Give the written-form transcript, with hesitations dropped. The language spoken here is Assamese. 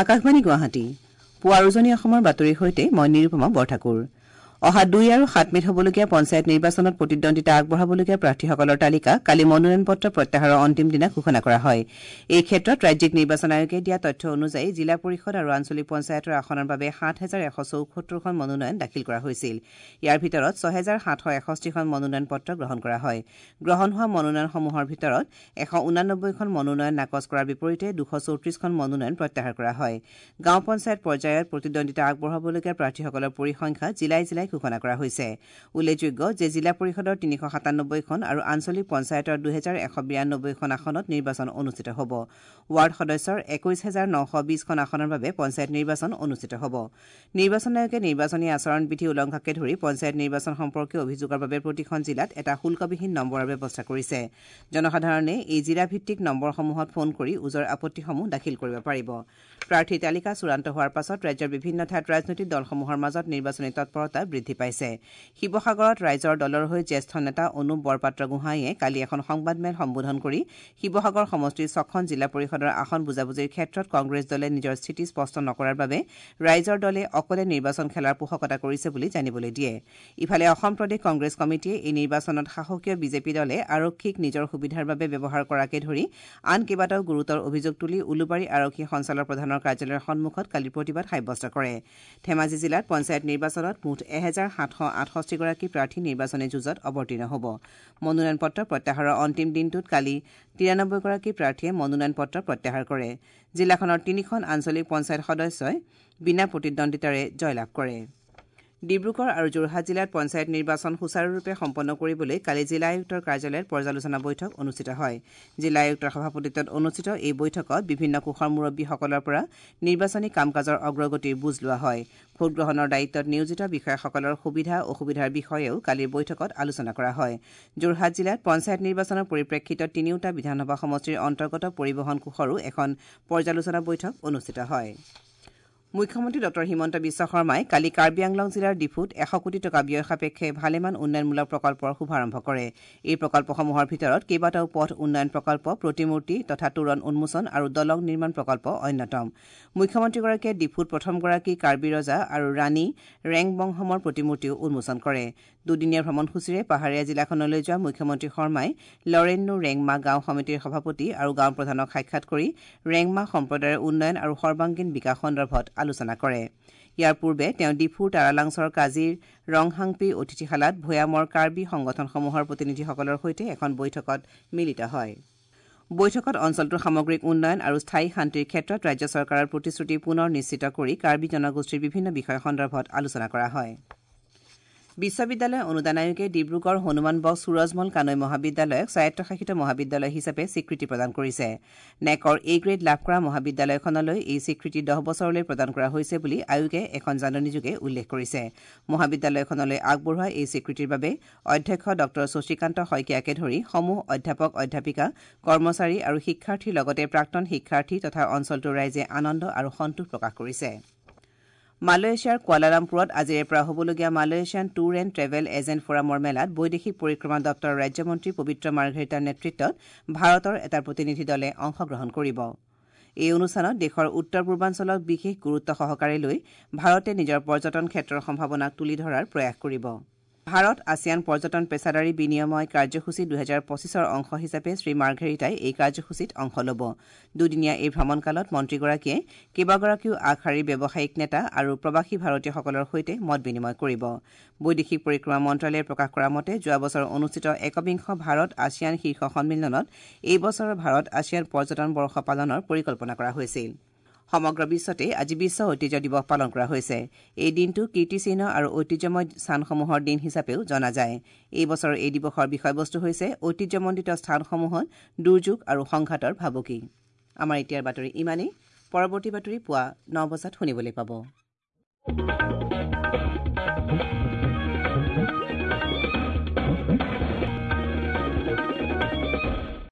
আকাশবাণী গুৱাহাটী পুৱাৰ উজনি অসমৰ বাতৰিৰ সৈতে মই নিৰুপমা বৰঠাকুৰ। অহা 2 আৰু 7 মে'ত হ'বলগীয়া পঞ্চায়ত নিৰ্বাচনত প্ৰতিদ্বন্দ্বিতা আগবঢ়াবলগীয়া প্ৰাৰ্থীসকলৰ তালিকা কালি মনোনয়ন পত্ৰ প্ৰত্যাহাৰৰ অন্তিম দিনা ঘোষণা কৰা হয়। এই ক্ষেত্ৰত ৰাজ্যিক নিৰ্বাচন আয়োগে দিয়া তথ্য অনুযায়ী জিলা পৰিষদ আৰু আঞ্চলিক পঞ্চায়তৰ আসনৰ বাবে 7174খন মনোনয়ন দাখিল কৰা হৈছিল। ইয়াৰ ভিতৰত 6761খন মনোনয়ন পত্ৰ গ্ৰহণ কৰা হয়। গ্ৰহণ হোৱা মনোনয়নসমূহৰ ভিতৰত 189খন মনোনয়ন নাকচ কৰাৰ বিপৰীতে 234খন মনোনয়ন প্ৰত্যাহাৰ কৰা হয়। গাঁও পঞ্চায়ত পৰ্যায়ত প্ৰতিদ্বন্দ্বিতা আগবঢ়াবলগীয়া প্ৰাৰ্থীসকলৰ পৰিসংখ্যা জিলাই জিলাই ঘোষণা কৰা হৈছে। উল্লেখযোগ্য যে জিলা পৰিষদৰ 397খন আৰু আঞ্চলিক পঞ্চায়তৰ 2192খন আসনত নিৰ্বাচন অনুষ্ঠিত হ'ব। ৱাৰ্ড সদস্যৰ 21920খন আসনৰ বাবে পঞ্চায়ত নিৰ্বাচন অনুষ্ঠিত হ'ব। নিৰ্বাচন আয়োগে নিৰ্বাচনী আচৰণ বিধি উলংঘাকে ধৰি পঞ্চায়ত নিৰ্বাচন সম্পৰ্কীয় অভিযোগৰ বাবে প্ৰতিখন জিলাত এটা শুল্কবিহীন নম্বৰৰ ব্যৱস্থা কৰিছে। জনসাধাৰণে এই জিলাভিত্তিক নম্বৰসমূহত ফোন কৰি ওজৰ আপত্তিসমূহ দাখিল কৰিব পাৰিব। প্ৰাৰ্থীৰ তালিকা চূড়ান্ত হোৱাৰ পাছত ৰাজ্যৰ বিভিন্ন ঠাইত ৰাজনৈতিক দলসমূহৰ মাজত নিৰ্বাচনী তৎপৰতা বৃদ্ধি পাইছে। শিৱসাগৰত ৰাইজৰ দলৰ হৈ জ্যেষ্ঠ নেতা অনুপ বৰপাত্ৰ গোহাঁইয়ে কালি এখন সংবাদমেল সম্বোধন কৰি শিৱসাগৰ সমষ্টিৰ 6খন জিলা পৰিষদৰ আসন বুজাবুজিৰ ক্ষেত্ৰত কংগ্ৰেছ দলে নিজৰ স্থিতি স্পষ্ট নকৰাৰ বাবে ৰাইজৰ দলে অকলে নিৰ্বাচন খেলাৰ পোষকতা কৰিছে বুলি জানিবলৈ দিয়ে। ইফালে অসম প্ৰদেশ কংগ্ৰেছ কমিটিয়ে এই নিৰ্বাচনত শাসকীয় বিজেপি দলে আৰক্ষীক নিজৰ সুবিধাৰ বাবে ব্যৱহাৰ কৰাকে ধৰি আন কেইবাটাও গুৰুতৰ অভিযোগ তুলি উলুবাৰী আৰক্ষী সঞ্চালক প্ৰধানৰ কাৰ্যালয়ৰ সন্মুখত কালি প্ৰতিবাদ সাব্যস্ত কৰে। ধেমাজি জিলাত পঞ্চায়ত নিৰ্বাচনত মুঠ 1768গৰাকী প্ৰাৰ্থী নিৰ্বাচনী যুঁজত অৱতীৰ্ণ হ'ব। মনোনয়ন পত্ৰ প্ৰত্যাহাৰৰ অন্তিম দিনটোত কালি 93গৰাকী প্ৰাৰ্থীয়ে মনোনয়ন পত্ৰ প্ৰত্যাহাৰ কৰে। জিলাখনৰ 3খন আঞ্চলিক পঞ্চায়ত সদস্যই বিনা প্ৰতিদ্বন্দ্বিতাৰে জয়লাভ কৰে। ডিব্ৰুগড় আৰু যোৰহাট জিলাত পঞ্চায়ত নিৰ্বাচন সুচাৰুৰূপে সম্পন্ন কৰিবলৈ কালি জিলা আয়ুক্তৰ কাৰ্যালয়ত পৰ্যালোচনা বৈঠক অনুষ্ঠিত হয়। জিলা আয়ুক্তৰ সভাপতিত্বত অনুষ্ঠিত এই বৈঠকত বিভিন্ন কোষৰ মুৰব্বীসকলৰ পৰা নিৰ্বাচনী কাম কাজৰ অগ্ৰগতিৰ বুজ লোৱা হয়। ভোটগ্ৰহণৰ দায়িত্বত নিয়োজিত বিষয়াসকলৰ সুবিধা অসুবিধাৰ বিষয়েও কালিৰ বৈঠকত আলোচনা কৰা হয়। যোৰহাট জিলাত পঞ্চায়ত নিৰ্বাচনৰ পৰিপ্ৰেক্ষিতত তিনিওটা বিধানসভা সমষ্টিৰ অন্তৰ্গত পৰিবহণ কোষৰো এখন পৰ্যালোচনা বৈঠক অনুষ্ঠিত হয়। মুখ্যমন্ত্ৰী ডঃ হিমন্ত বিশ্ব শৰ্মাই কালি কাৰ্বি আংলং জিলাৰ ডিফুত 100 কোটি টকা ব্যয় সাপেক্ষে ভালেমান উন্নয়নমূলক প্ৰকল্পৰ শুভাৰম্ভ কৰে। এই প্ৰকল্পসমূহৰ ভিতৰত কেইবাটাও পথ উন্নয়ন প্ৰকল্প, প্ৰতিমূৰ্তি তথা তোৰণ উন্মোচন আৰু দলং নিৰ্মাণ প্ৰকল্প অন্যতম। মুখ্যমন্ত্ৰীগৰাকীয়ে ডিফুত প্ৰথমগৰাকী কাৰ্বি ৰজা আৰু ৰাণী ৰেংবংহমৰ প্ৰতিমূৰ্তিও উন্মোচন কৰে। দুদিনীয়া ভ্ৰমণসূচীৰে পাহাৰীয়া জিলাখনলৈ যোৱা মুখ্যমন্ত্ৰী শৰ্মাই লৰেন্নু ৰেংমা গাঁও সমিতিৰ সভাপতি আৰু গাঁও প্ৰধানক সাক্ষাৎ কৰি ৰেংমা সম্প্ৰদায়ৰ উন্নয়ন আৰু সৰ্বাংগীন বিকাশ সন্দৰ্ভত আলোচনা কৰে। ইয়াৰ পূৰ্বে তেওঁ ডিফুৰ তাৰালাংছৰ কাজিৰ ৰংহাংপি অতিথিশালাত ভৈয়ামৰ কাৰ্বি সংগঠনসমূহৰ প্ৰতিনিধিসকলৰ সৈতে এখন বৈঠকত মিলিত হয়। বৈঠকত অঞ্চলটোৰ সামগ্ৰিক উন্নয়ন আৰু স্থায়ী শান্তিৰ ক্ষেত্ৰত ৰাজ্য চৰকাৰৰ প্ৰতিশ্ৰুতি পুনৰ নিশ্চিত কৰি কাৰ্বি জনগোষ্ঠীৰ বিভিন্ন বিষয় সন্দৰ্ভত আলোচনা কৰা হয়। বিশ্ববিদ্যালয় অনুদান আয়োগে ডিব্ৰুগড় হনুমান বক্স সুৰজমল কানৈ মহাবিদ্যালয়ক স্বায়ত্তশাসিত মহাবিদ্যালয় হিচাপে স্বীকৃতি প্ৰদান কৰিছে। নেকৰ এ গ্ৰেড লাভ কৰা মহাবিদ্যালয়খনলৈ এই স্বীকৃতি 10 বছৰলৈ প্ৰদান কৰা হৈছে বুলি আয়োগে এখন জাননীযোগে উল্লেখ কৰিছে। মহাবিদ্যালয়খনলৈ আগবঢ়োৱা এই স্বীকৃতিৰ বাবে অধ্যক্ষ ডঃ শশীকান্ত শইকীয়াকে ধৰি সমূহ অধ্যাপক, অধ্যাপিকা, কৰ্মচাৰী আৰু শিক্ষাৰ্থীৰ লগতে প্ৰাক্তন শিক্ষাৰ্থী তথা অঞ্চলটোৰ ৰাইজে আনন্দ আৰু সন্তোষ প্ৰকাশ কৰিছে। মালয়েছিয়াৰ কুৱালালামপুৰত আজিৰে পৰা হ'বলগীয়া Malaysian tour and travel agent ফৰামৰ মেলাত বৈদেশিক পৰিক্ৰমা দপ্তৰৰ ৰাজ্যমন্ত্ৰী পবিত্ৰ মাৰ্ঘেৰিটাৰ নেতৃত্বত ভাৰতৰ এটা প্ৰতিনিধি দলে অংশগ্ৰহণ কৰিব। এই অনুষ্ঠানত দেশৰ উত্তৰ পূৰ্বাঞ্চলক বিশেষ গুৰুত্ব সহকাৰে লৈ ভাৰতে নিজৰ পৰ্যটন ক্ষেত্ৰৰ সম্ভাৱনাক তুলি ধৰাৰ প্ৰয়াস কৰিব। ভাৰত আছিয়ান পৰ্যটন পেছাদাৰী বিনিময় কাৰ্যসূচী 2025ৰ অংশ হিচাপে শ্ৰী মাৰ্ঘেৰিটাই এই কাৰ্যসূচীত অংশ ল'ব। দুদিনীয়া এই ভ্ৰমণকালত মন্ত্ৰীগৰাকীয়ে কেইবাগৰাকীও আগশাৰীৰ ব্যৱসায়িক নেতা আৰু প্ৰৱাসী ভাৰতীয়সকলৰ সৈতে মত বিনিময় কৰিব। বৈদেশিক পৰিক্ৰমা মন্ত্ৰালয়ে প্ৰকাশ কৰা মতে যোৱা বছৰ অনুষ্ঠিত একবিংশ ভাৰত আছিয়ান শীৰ্ষ সন্মিলনত এই বছৰৰ ভাৰত আছিয়ান পৰ্যটন বৰ্ষ পালনৰ পৰিকল্পনা কৰা হৈছিল। সমগ্ৰ বিশ্বতে আজি বিশ্ব ঐতিহ্য দিৱস পালন কৰা হৈছে। এই দিনটো কীৰ্তিচিহ্ন আৰু ঐতিহ্যময় স্থানসমূহৰ দিন হিচাপেও জনা যায়। এই বছৰৰ এই দিৱসৰ বিষয়বস্তু হৈছে ঐতিহ্যমণ্ডিত স্থানসমূহত দুৰ্যোগ আৰু সংঘাতৰ ভাবুকি। আমাৰ এতিয়াৰ বাতৰি ইমানেই। পৰৱৰ্তী বাতৰি পুৱা 9 বজাত শুনিবলৈ পাব।